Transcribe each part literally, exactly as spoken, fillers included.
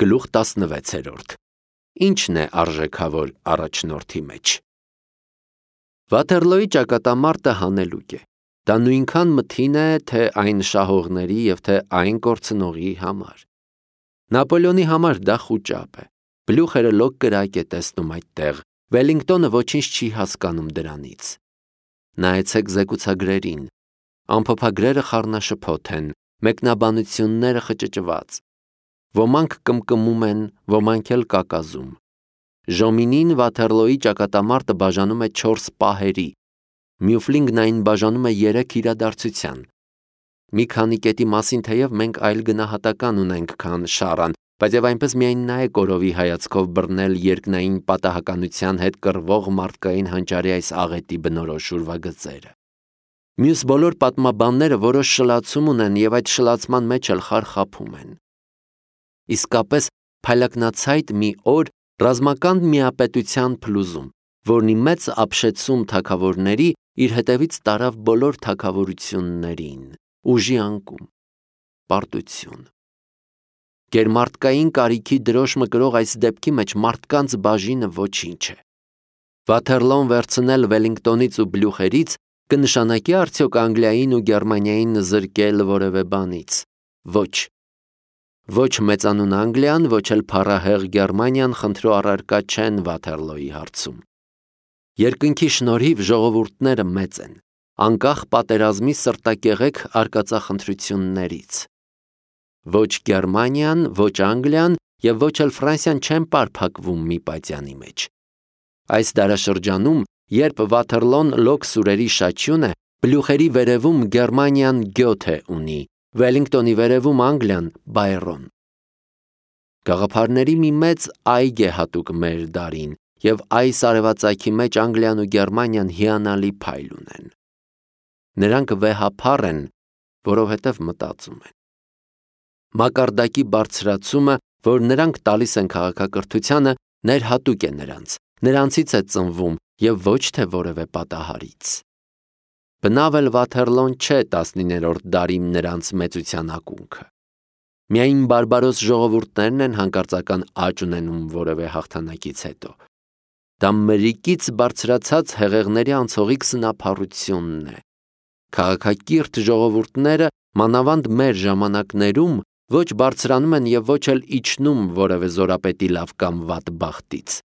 Գլուխ տասնվեցերորդ. Ի՞նչն է արժեքավոր առաջնորդի մեջ։ Վաթերլոյի ճակատամարտը հանելուկ է։ Դա նույնքան մթին է, թե այն շահողների և թե այն կորցնողի համար։ Նապոլեոնի համար դա խուճապ է։ Բլյուխերը լոկ կրակ է տեսնում այդտեղ, Վելինգտոնը ոչինչ չի հասկանում դրանից։ Նայեցեք զեկուցագրերին։ Ամփոփագրերը խառնաշփոթ են, մեկնաբանությունները խճճված։ Ոմանք կմկմում են, ոմանք էլ կակազում։ Ժոմինին Վաթերլոյի ճակատամարտը բաժանում է չորս պահերի, Մյուֆլինգն այն բաժանում է երեք իրադարձության։ Մի քանի կետի մասին թեև մենք այլ գնահատական ունենք, քան Շարան, բայց եւ այնպես միայն նա է կորովի հայացքով բռնել երկնային պատահականության հետ կռվող մարդկային հանճարի այս աղետի բնորոշ ուրվագծերը։ Մյուս բոլոր պատմաբանները որոշ շլացում ունեն եւ այդ շլացման մեջ էլ խարխափում են։ Իսկապես փայլակնացայտ մի օր ռազմական միապետության փլուզում, որն ի մեծ ապշեցում թագավորների իր հետևից տարավ բոլոր թագավորություններին, ուժի անկում, պարտություն։ Գերմարտկային կարիքի դրոշ մկրող այս դեպքի մեջ մարդկանց բաժինը ոչինչ է։ Վաթերլոն վերցնել Վելինգտոնից ու Բլյուխերից կնշանակի արդյոք Անգլիային ու Գերմանիային զրկել որևէ բանից։ Ոչ։ Ոչ մեծանուն Անգլիան, ոչ էլ փառահեղ Գերմանիան խնդրու առարկա չեն Վաթերլոյի հարցում։ Երկնքի շնորհիվ ժողովուրդները մեծ են, անկախ պատերազմի սրտակեղեք արկածախնդրություններից։ Ոչ Գերմանիան, ոչ Անգլիան և ոչ էլ Ֆրանսիան չեն պարփակվում մի պատյանի մեջ։ Այս դարաշրջանում, երբ Վաթերլոն լոկ սուրերի շաչյուն է, Բլյուխերի վերևում Գերմանիան Գյոթե ունի, Վելինգտոնի վերևում Անգլիան Բայրոն։ Գաղափարների մի մեծ այգ է հատուկ մեր դարին, և այս արևածագի մեջ Անգլիան ու Գերմանիան հիանալի փայլ ունեն։ Նրանք վեհափառ են, որովհետև մտածում են։ Մակարդակի բարձրացումը, որ նրանք տալիս են քաղաքակրթությանը, ներհատուկ է նրանց, նրանցից է ծնվում և ոչ թե որևէ պատահարից։ Բնավ էլ Վաթերլոն չէ տասնիններորդ դարի նրանց մեծության ակունքը։ Միայն բարբարոս ժողովուրդներն են հանկարծական աճ ունենում որևէ հաղթանակից հետո։ Դա մրրիկից բարձրացած հեղեղների անցողիկ սնափառությունն է։ Քաղաքակիրթ ժողովուրդները, մանավանդ մեր ժամանակներում, ոչ բարձրանում են և ոչ էլ իջնում որևէ զորապետի լավ կամ վատ բախտից։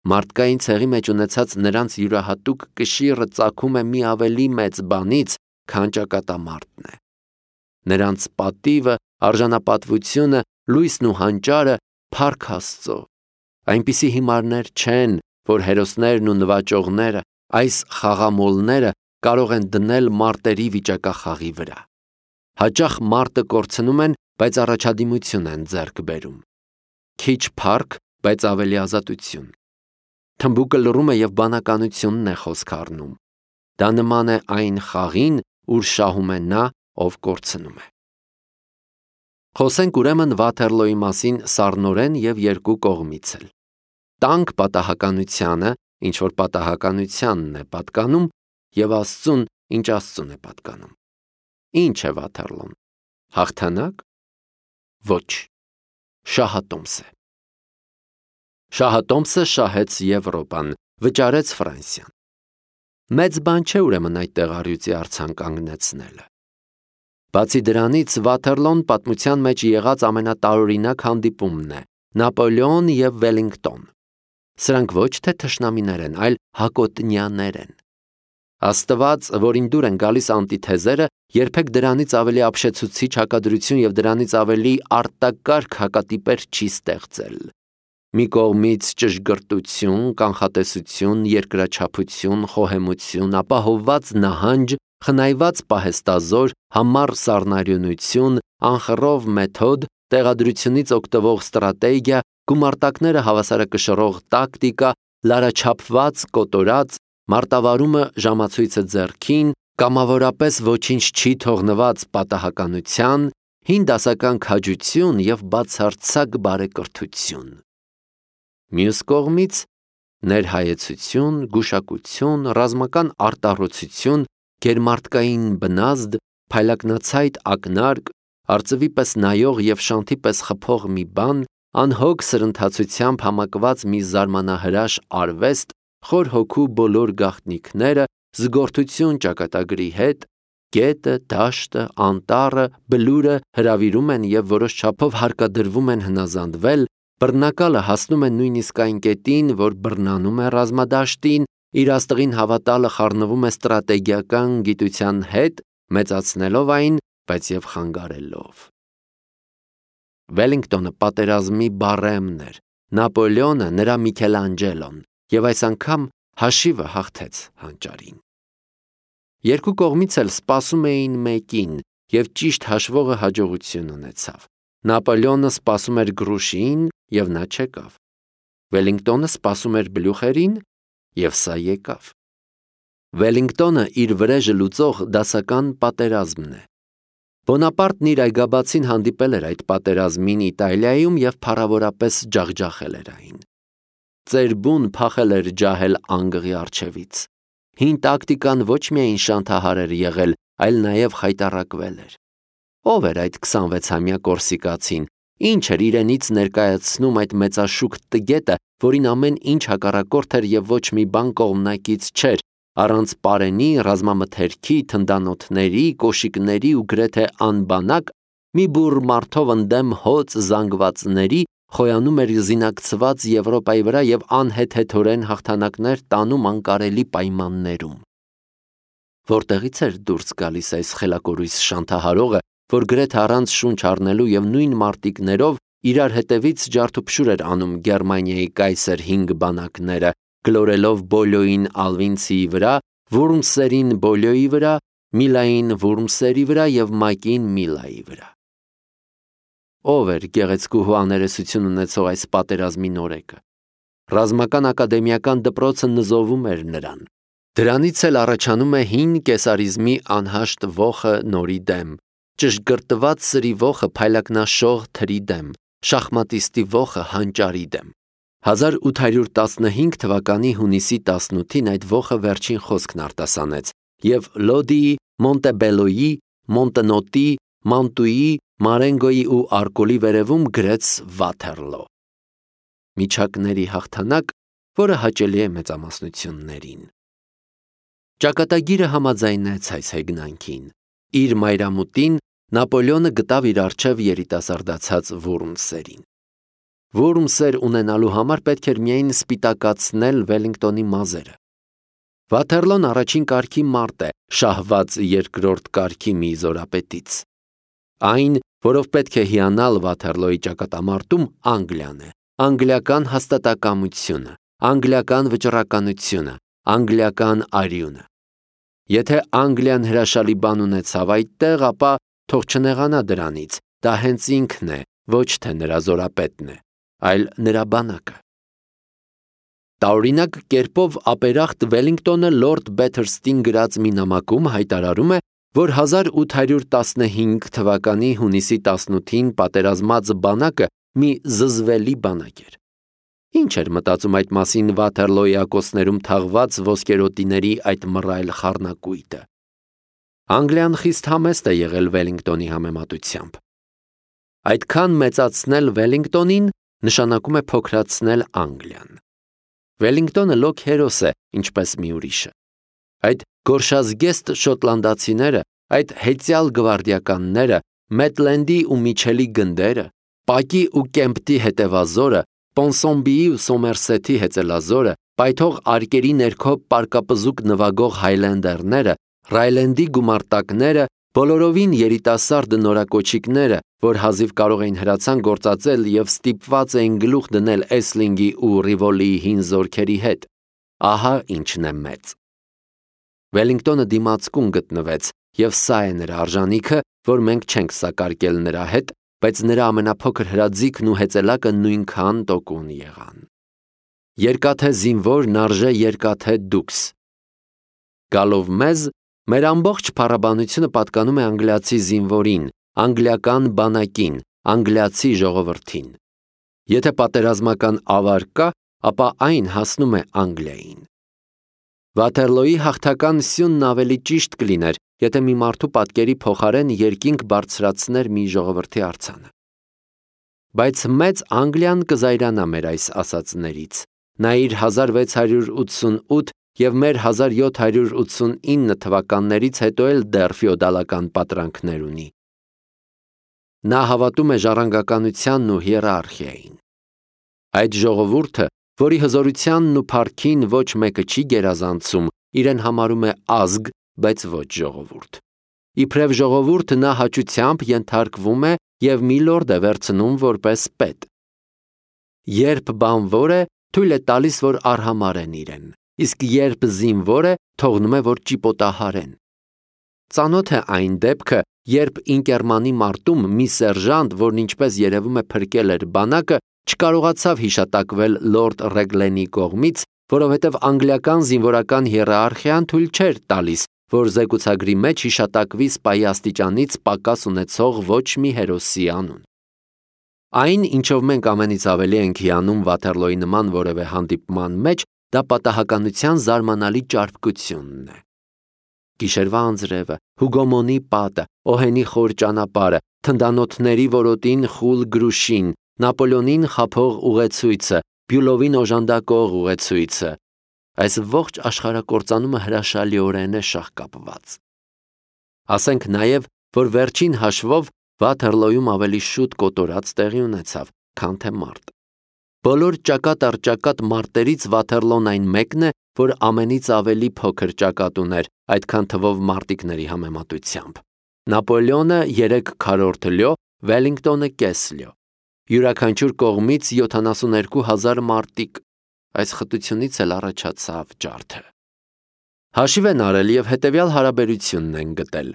Մարդկային ցեղի մեջ ունեցած նրանց յուրահատուկ կշիռը ծագում է մի ավելի մեծ բանից, քան ճակատամարտն է։ Նրանց պատիվը, արժանապատվությունը, լույսն ու հանճարը փառք Աստծո։ Այնպիսի հիմարներ չեն, որ հերոսներն ու նվաճողները, այս խաղամոլները կարող են դնել մարտերի վիճակախաղի վրա։ Հաճախ մարտը կորցնում են, բայց առաջադիմություն են ձեռք բերում։ Քիչ փառք, բայց ավելի ազատություն։ Թմբուկը լռում է և բանականությունն է խոսք առնում։ Դա նման է այն խաղին, ուր շահում է նա, ով կորցնում է։ Խոսենք ուրեմն Վաթերլոյի մասին սառնորեն և երկու կողմից էլ։ Տանք պատահականությանը, ինչ որ պատահականությանն է պատկանում, և Աստծուն, ինչ Աստծուն է պատկանում։ Ինչ է Վաթերլոն։ Հաղթանակ։ Ոչ։ Շահատոմս է։ Շահատոմսը շահեց Եվրոպան, վճարեց Ֆրանսիան։ Մեծ բան չէ ուրեմն այդտեղ առյուծի արձան կանգնեցնելը։ Բացի դրանից, Վաթերլոն պատմության մեջ եղած ամենատարօրինակ հանդիպումն է, Նապոլեոն և Վելինգտոն։ Սրանք ոչ թե թշնամիներ են, այլ հակոտնյաներ են։ Աստված, որին դուր են գալիս անտիթեզերը, երբեք դրանից ավելի ապշեցուցիչ հակադրություն և դրանից ավելի արտակարգ հակատիպեր չի ստեղծել։ Մի կողմից ճշգրտություն, կանխատեսություն, երկրաչափություն, խոհեմություն, ապահովված նահանջ, խնայված պահեստազոր, համառ սառնարյունություն, անխռով մեթոդ, տեղադրությունից օգտվող ստրատեգիա, գումարտակները հավասարակշռող տակտիկա, լարաչափված, կոտորած, մարտավարումը ժամացույցը ձեռքին, կամավորապես ոչինչ չի թողնված պատահականության, հին դասական քաջություն և բացարձակ բարեկրթություն։ Մյուս կողմից ներհայեցություն, գուշակություն, ռազմական արտառոցություն, գերմարտկային բնազդ, փայլակնացայտ ակնարկ, արծվի պես նայող եւ շանթի պես խփող մի բան, անհոգ սրընթացությամբ համակված մի զարմանահրաշ արվեստ, խոր հոգու բոլոր գաղտնիքները, զգորթություն ճակատագրի հետ, գետը, դաշտը, անտառը, բլուրը հրավիրում են եւ որոշ չափով հարկադրվում են հնազանդվել, բռնակալը հասնում է նույնիսկ այն կետին, որ բռնանում է ռազմադաշտին, իր աստղին հավատալը խառնվում է ստրատեգիական գիտության հետ, մեծացնելով այն, բայց եւ խանգարելով։ Վելինգտոնը պատերազմի Բարեմն էր, Նապոլեոնը նրա Միքելանջելոն, եւ այս անգամ հաշիվը հաղթեց հանճարին։ Երկու կողմից էլ սպասում էին մեկին, եւ ճիշտ հաշվողը հաջողություն ունեցավ։ Նապոլեոնը սպասում էր գրուշին, եւ նա չեկավ։ Վելինգտոնը սպասում էր բլյուխերին, եւ սա եկավ։ Վելինգտոնը իր վրեժը լուծող դասական պատերազմն է։ Բոնապարտն իր այգաբացին հանդիպել էր այդ պատերազմին Իտալիայում եւ փառավորապես ջախջախել էր այն։ Ծերբուն փախել էր ջահել անգղի առջևից։ Հին տակտիկան ոչ միայն շանթահար էր եղել, այլ նաև խայտառակվել էր։ Ով էր այդ քսանվեցամյա կորսիկացին, ինչ էր իրենից ներկայացնում այդ մեծաշուք տգետը, որին ամեն ինչ հակառակորդ էր եւ ոչ մի բան կողմնակից չէր, առանց պարենի, ռազմամթերքի, թնդանոթների, կոշիկների ու գրեթե անբանակ, մի բուռ մարդով ընդդեմ հոծ զանգվածների խոյանում էր զինակցված Եվրոպայի վրա եւ անհեթեթորեն հաղթանակներ տանում անկարելի պայմաններում։ Որտեղից էր դուրս գալիս այս խելակորույս շանթահարողը, որ գրեթե առանց շունչ առնելու եւ նույն մարտիկներով իրար հետևից ջարդուփշուր էր անում Գերմանիայի կայսեր հինգ բանակները, գլորելով Բոլյոյին Ալվինցիի վրա, Վուրմսերին Բոլյոյի վրա, Միլային Վուրմսերի վրա եւ Մակին Միլայի վրա։ Ով էր գեղեցկուհու աներեսություն ունեցող այս պատերազմի նորեկը։ Ռազմական ակադեմիական դպրոցը նզովում էր նրան։ Դրանից էլ առաջանում է հին կեսարիզմի անհաշտ ոխը նորի դեմ, ճշգրտված սրի ոխը փայլակնաշող թրի դեմ, շախմատիստի ոխը հանճարի դեմ։ հազար ութ հարյուր տասնհինգ թվականի հունիսի տասնութին այդ ոխը վերջին խոսքն արտասանեց եւ Լոդիի, Մոնտեբելոյի, Մոնտնոտի, Մանտուի, Մարենգոյի ու Արկոլի վերևում գրեց Վաթերլո։ Միջակների հաղթանակ, որը հաճելի է մեծամասնություններին։ Ճակատագիրը համաձայնեց այս հեգնանքին։ Իր մայրամուտին Նապոլեոնը գտավ իր առջև երիտասարդացած Վուրմսերին։ Վուրմսեր ունենալու համար պետք էր միայն սպիտակացնել Վելինգտոնի մազերը։ Վաթերլոն առաջին կարգի մարդ է, շահված երկրորդ կարգի մի զորապետից։ Այն, որով պետք է հիանալ Վաթերլոյի ճակատամարտում, Անգլիան է, անգլիական հաստատակամությունը, անգլիական վճռականությունը, անգլիական արյունը։ Եթե Անգլիան հրաշալի բան ունեցավ այդտեղ, ապա թող չնեղանա դրանից, դա հենց ինքն է, ոչ թե նրա զորապետն է, այլ նրա բանակը։ Տարօրինակ կերպով ապերախտ Վելինգտոնը Լորդ Բեթերստին գրած մի նամակում հայտարարում է, որ հազար ութ հարյուր տասնհինգ թվականի հունիսի տասնութին պատերազմած բանակը մի զզվելի բանակ էր։ Ինչ էր մտածում այդ մասին Վաթերլոյի ակոսներում թաղված ոսկերոտիների այդ մռայլ խառնակույտը։ Անգլիան խիստ համեստ է եղել Վելինգտոնի համեմատությամբ։ Այդքան մեծացնել Վելինգտոնին նշանակում է փոքրացնել Անգլիան։ Վելինգտոնը լոկ հերոս է, ինչպես մի ուրիշը։ Այդ գորշազգեստ շոտլանդացիները, այդ հեծյալ գվարդիականները, Մեթլենդի ու Միչելի գնդերը, Պակի ու Կեմպտի հետևազորը, Պոնսոմբիի ու Սոմերսեթի հեծելազորը, պայթող արկերի ներքո պարկապզուկ նվագող հայլենդերները, Ռայլենդի գումարտակները, բոլորովին երիտասարդ նորակոչիկները, որ հազիվ կարող էին հրացան գործածել եւ ստիպված էին գլուխ դնել Էսլինգի ու Ռիվոլիի հին զորքերի հետ։ Ահա ինչն է մեծ։ Վելինգտոնը դիմացկուն գտնվեց, եւ սա է նրա արժանիքը, որ մենք չենք սակարկել նրա հետ, բայց նրա ամենափոքր հրաձիգն ու հեծելակը նույնքան տոկուն եղան։ Երկաթե զինվորն արժե երկաթե դուքս։ Գալով մեզ, մեր ամբողջ փառաբանությունը պատկանում է անգլիացի զինվորին, անգլիական բանակին, անգլիացի ժողովրդին։ Եթե պատերազմական ավար կա, ապա այն հասնում է Անգլիային։ Վաթերլոյի հաղթական սյունն ավելի ճիշտ կլիներ, եթե մի մարդու պատկերի փոխարեն երկինք բարձրացներ մի ժողովրդի արձանը։ Բայց մեծ Անգլիան կզայրանա մեր այս ասածներից։ Նա իր հազար վեց հարյուր ութսունութ և մեր հազար յոթ հարյուր ութսունինը թվականներից հետո էլ դեռ ֆեոդալական պատրանքներ ունի։ Նա հավատում է ժառանգականությանն ու հիերարխիային։ Այդ ժողովուրդը, որի հզորությանն ու փառքին ոչ մեկը չի գերազանցում, իրեն համարում է ազգ, բայց ոչ ժողովուրդ։ Իբրև ժողովուրդ նա հաճությամբ ենթարկվում է և մի լորդ է վերցնում որպես պետ։ Երբ բանվոր է, թույլ է տալիս, որ արհամարեն իրեն, իսկ երբ զինվոր է, թողնում է, որ ճիպոտահարեն։ Ծանոթ է այն դեպքը, երբ Ինկերմանի մարտում մի սերժանտ, որն ինչպես երևում է փրկել էր բանակը, չկարողացավ հիշատակվել լորդ Ռեգլենի կողմից, որովհետև անգլիական զինվորական հիերարխիան թույլ չէր տալիս, որ զեկուցագրի մեջ հիշատակվի սպայի աստիճանից պակաս ունեցող ոչ մի հերոսի անուն։ Այն, ինչով մենք ամենից ավելի ենք հիանում Վաթերլոյի նման որևէ հանդիպման մեջ, դա պատահականության զարմանալի ճարպկությունն է։ Գիշերվա անձրևը, Հուգոմոնի պատը, Օհենի խոր ճանապարհը, թնդանոթների որոտին խուլ գրուշին, Նապոլեոնին խաբող ուղեցույցը, Բյուլովին օժանդակող ուղեցույցը, այս ողջ աշխարհակործանումը հրաշալիորեն է շաղկապված։ Ասենք նաև, որ վերջին հաշվով Վաթերլոյում ավելի շուտ կոտորած տեղի ունեցավ, քան թե մարտ։ Բոլոր ճակատ առ ճակատ մարտերից Վաթերլոն այն մեկն է, որ ամենից ավելի փոքր ճակատ ուներ, այդքան թվով մարտիկների համեմատությամբ։ Նապոլեոնը երեք քառորդ լյո, Վելինգտոնը կես լյո։ Յուրաքանչյուր կողմից յոթանասունհինգ հազար մարտիկ, այս խտությունից էլ առաջացավ ջարդը։ Հաշիվ են արել և հետևյալ հարաբերությունն են գտել։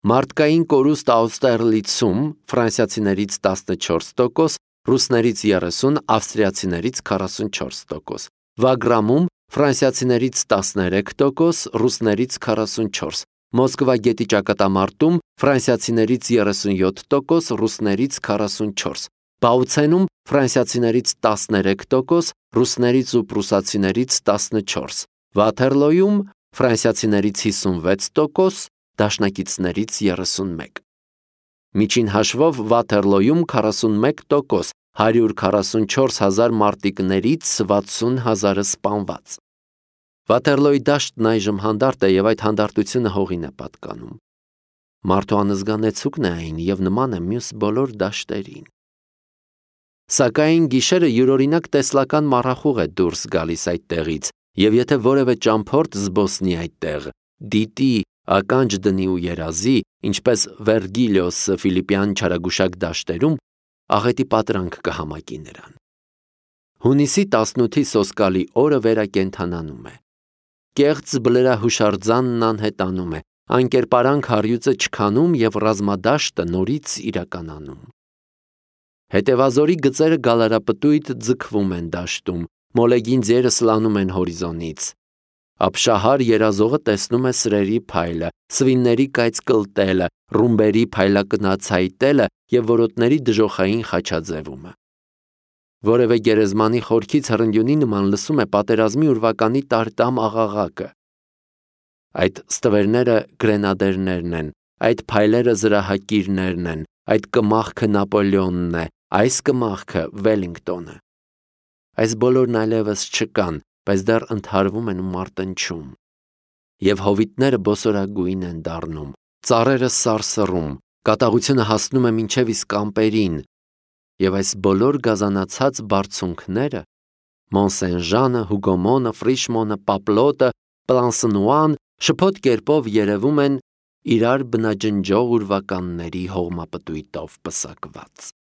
Մարդկային կորուստ Աուստերլիցում ֆրանսիացիներից տասնչորս տոկոս, ռուսներից երեսուն, ավստրիացիներից քառասունչորս տոկոս, Վագրամում ֆրանսիացիներից տասներեք տոկոս, ռուսներից քառասունչորս, Մոսկվա գետի ճակատամարտում ֆրանսիացիներից երեսունյոթ տոկոս, ռուսներից քառասունչորս, Բաուցենում ֆրանսիացիներից տասներեք տոկոս, ռուսներից ու պրուսացիներից տասնչորս, Վաթերլոյում ֆրանսիացիներից հիսունվեց տոկոս, դաշնակիցներից երեսունմեկ։ Միջին հաշվով Վաթերլոյում քառասունմեկ տոկոս, հարյուր քառասունչորս հազար մարտիկներից վաթսուն հազարը սպանված։ Վաթերլոյի դաշտն այժմ հանդարտ է և այդ հանդարտությունը հողին է պատկանում։ Մարդու անզգանեցուկն է այն և նման է մյուս բոլոր դաշտերին։ Սակայն գիշերը յուրօրինակ տեսլական մառախուղ է դուրս գալիս այդտեղից, և եթե որևէ ճամփորդ զբոսնի այդտեղ, դիտի, ականջ դնի ու երազի, ինչպես Վերգիլիոսը Ֆիլիպյան չարագուշակ դաշտերում, աղետի պատրանք կհամակի նրան։ Հունիսի տասնութի սոսկալի օրը վերակենդանանում է։ Կեղծ բլրահուշարձանն անհետանում է, անկերպարանք առյուծը չքանում և ռազմադաշտը նորից իրականանում։ Հետևազորի գծերը գալարապտույտ ձգվում են դաշտում, մոլեգին ձերը սլանում են հորիզոնից։ Ապշահար երազողը տեսնում է սրերի փայլը, սվինների կայծ կլտելը, ռումբերի փայլակնած հայտելը և որոտների դժոխային խաչաձևումը։ Որևէ գերեզմանի խորքից հրնդյունի նման լսում է պատերազմի ուրվականի տարտամ աղաղակը։ Այդ ստվերները գրենադերներն են, այդ փայլերը զրահակիրներն են, այդ կմախքը Նապոլեոնն է, այս կմախքը Վելինգտոնը։ Այս բոլորն այլևս չկան, բայց դեռ ընդհարվում են ու մարտնչում։ Եվ հովիտները բոսորագույն են դառնում, ծառերը սարսռում, կատաղությունը հասնում է մինչև իսկ ամպերին, և այս բոլոր գազանացած բարձունքները՝ Մոնսեն-Ժանը, Հուգոմոնը, Ֆրիշմոնը, Պապլոտը, Պլանսնուան, շփոթ կերպով երևում են իրար բնաջնջող ուրվականների հողմապտույտով պսակված։